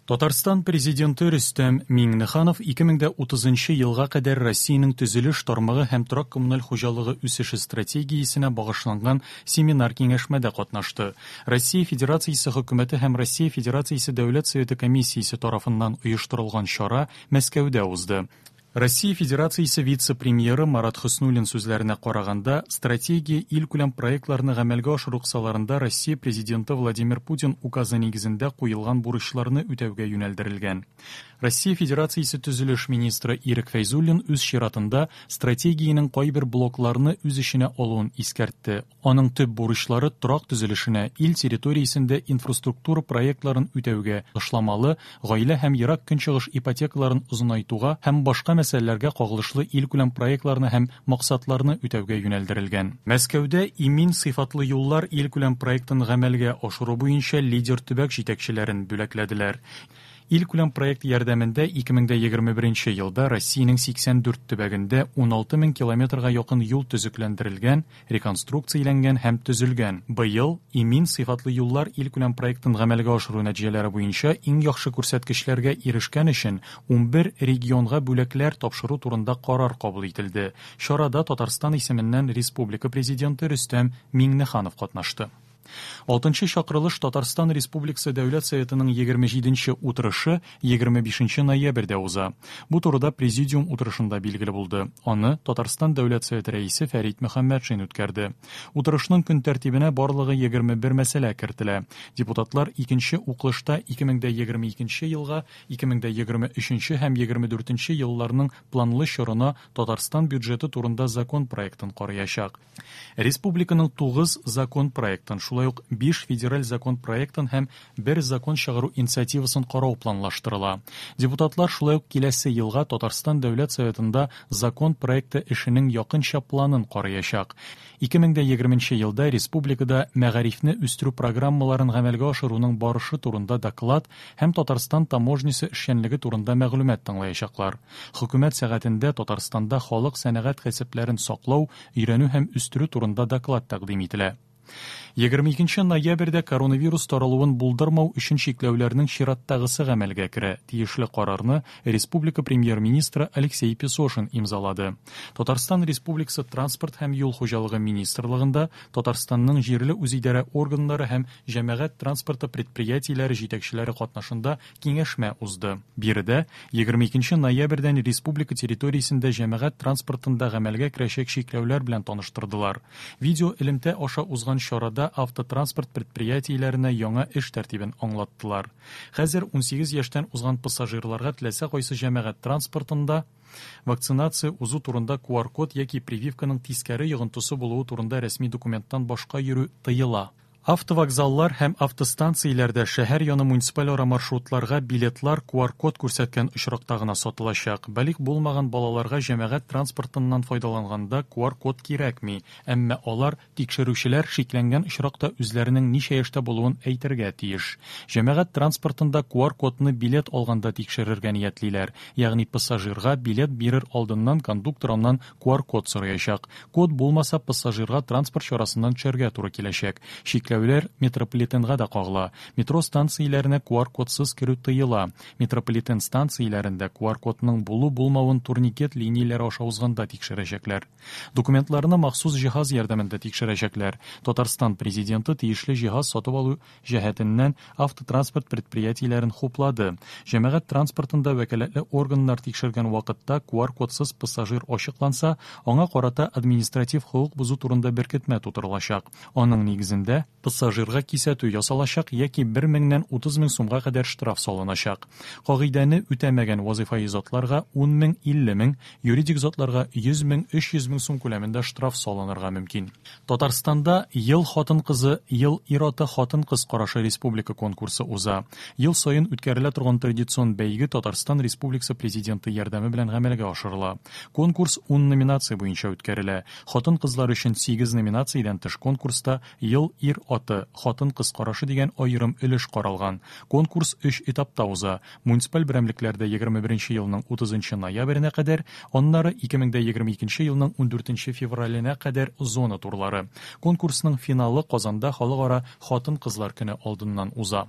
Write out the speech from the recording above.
Татарстан Президенты Рөстәм Миңнеханов 2030 елга кадәр Россиянең төзелеш тармагы һәм торак-коммуналь хуҗалыгы үсеше стратегиясенә багышланган семинар-киңәшмәдә катнашты. Россия Федерациясе Хөкүмәте һәм Россия Федерациясе Дәүләт Советы комиссиясе тарафыннан оештырылган чара Мәскәүдә узды. Россия Федерациясе вице-премьеры Марат Хөснуллин сүзләренә караганда, стратегия илкүләм проектларны гамәлгә ашыру кысаларында Россия Президенты Владимир Путин указы нигезендә куелган бурычларны үтәүгә юнәлдерелгән. Россия Федерациясе төзелеш министры Ирек Фәйзуллин үз чиратында стратегиянең кайбер блокларны үз эченә алуын искәртте. Аның төп бурычлары торак төзелешенә, ил территориясендә инфраструктура проектларын үтәүгә, ташламалы, гаилә һәм Ерак Көнчыгыш ипотекаларын озынайтуга һәм башка мәсьәләләргә кагылышлы илкүләм проектларны һәм максатларны үтәүгә юнәлдерелгән. Мәскәүдә Имин сыйфатлы юллар илкүләм проектын гамәлгә ашыру буенча лидер төбәк җитәкчеләрен бүләкләделәр. Илкүләм проект ярдәмендә 2021 елда Россиянең 84 төбәгендә 16 мең километрга якын юл төзекләндерелгән, реконструкцияләнгән һәм төзелгән. Быел Имин сыйфатлы юллар илкүләм проектын гамәлгә ашыру нәтиҗәләре буенча иң яхшы күрсәткечләргә ирешкән өчен 11 регионга бүләкләр тапшыру турында карар кабул ителде. Чарада Татарстан исеменнән республика Президенты Рөстәм Миңнеханов катнашты. Алтынчы чакырылыш Татарстан Республикасы Дәүләт Советының 27 нче утырышы 25 ноябрьдә уза. Бу турыда президиум утырышында билгеле булды. Аны Татарстан Дәүләт Советы рәисе Фәрит Мөхәммәтшин үткәрде. Утырышның көн тәртибенә барлыгы 21 мәсьәлә кертелә. Депутатлар икенче укылышта 2022 елга, 2023 һәм 24 елларның планлы чорына Татарстан бюджеты турында закон проектын караячак. Республиканың 9 закон проектын, шулай ук 5 федераль закон проектын һәм бер закон чыгару инициативасын карау планлаштырыла. Депутатлар шулай ук киләсе елга Татарстан Дәүләт Советында закон проекты эшенең якынча планын караячак. 2020 елда республикада мәгарифне үстерү программаларын гамәлгә ашыруның барышы турында доклад һәм Татарстан таможнясы эшчәнлеге турында мәгълүмат тыңлаячаклар. Хөкүмәт сәгатендә Татарстанда халык сәнәгать кәсепләрен саклау, өйрәнү һәм үстерү турында доклад тәкъдим ителә. 22 ноябрьдә коронавирус таралуын булдырмау өчен чикләүләрнең чираттагысы гамәлгә керә. Тиешле карарны республика премьер-министры Алексей Песошин имзалады. Татарстан Республикасы Транспорт һәм юл хуҗалыгы министрлыгында Татарстанның җирле үзидарә органнары һәм җәмәгать транспорты предприятиеләре җитәкчеләре катнашында киңәшмә узды. Биредә 22 ноябрьдән республика территориясендә җәмәгать транспортында гамәлгә керәчәк чикләүләр белән таныштырдылар. Видеоэлемтә аша узган чарада автотранспорт предприятиеләренә яңа эш тәртибен аңлаттылар. Хәзер 18 яшьтән узган пассажирларга теләсә кайсы җәмәгать транспортында вакцинация узу турында QR-код яки прививканың тискәре йогынтысы булуы турында рәсми документтан башка йөрү тыела. Автовокзаллар һәм автостанцияләрдә шәһәр яны муниципаль ара маршрутларга билетлар QR-код күрсәткән очракта гына сатылачак. Балигъ булмаган балаларга җәмәгать транспортыннан файдаланганда QR-код кирәкми, әмма алар тикшерүчеләр шикләнгән очракта үзләренең ничә яшьтә булуын әйтергә тиеш. Җәмәгать транспортында QR-кодны билет алганда тикшерергә ниятлиләр, ягъни пассажирга билет бирер алдыннан кондуктор аннан QR-код сораячак. Код булмаса, пассажирга транспорт чарасыннан төшәргә туры киләчәк. Чикләүләр метрополитенга да кагыла. Метро станцияләренә QR-кодсыз керү тыела. Метрополитен станцияләрендә QR-кодның булу-булмавын турникет линияләре аша узганда тикшерәчәкләр. Документларны махсус җиһаз ярдәмендә тикшерәчәкләр. Татарстан президенты тиешле җиһаз сатып алу җәһәтеннән автотранспорт предприятиеләрен хуплады. Җәмәгать транспортында вәкаләтле органнар тикшергән вакытта QR-кодсыз пассажир ачыкланса, аңа карата административ хокук бозу турында беркетмә тутырылачак. Аның нигезендә пассажирга кисәтү ясалачак яки 1 меңнән 30 мең сумга кадәр штраф салыначак. Кагыйдәне үтәмәгән вазыйфаи затларга 10 мең, 50 мең, юридик затларга 100 мең, 300 мең сум күләмендә штраф салынырга мөмкин. Татарстанда Ел хатын-кызы, ел ир-аты хатын-кыз карашы республика конкурсы уза. Ел саен үткәрелә торган традицион бәйге Татарстан Республикасы Президенты ярдәме белән гамәлгә ашырыла. Конкурс 10 номинация буенча үткәрелә. Хатын-кызлар өчен 8 номинациядән тыш конкурста Ел ир-аты, хатын-кыз карашы дигән аерым өлеш каралган. Конкурс өч этапта уза. Муниципаль берәмлекләрдә 21 елның 30 ноябренә кадәр, аннары 2022 елның 14 февраленә кадәр зона турлары. Конкурсның финалы Казанда Халыкара хатын-кызлар көне алдыннан уза.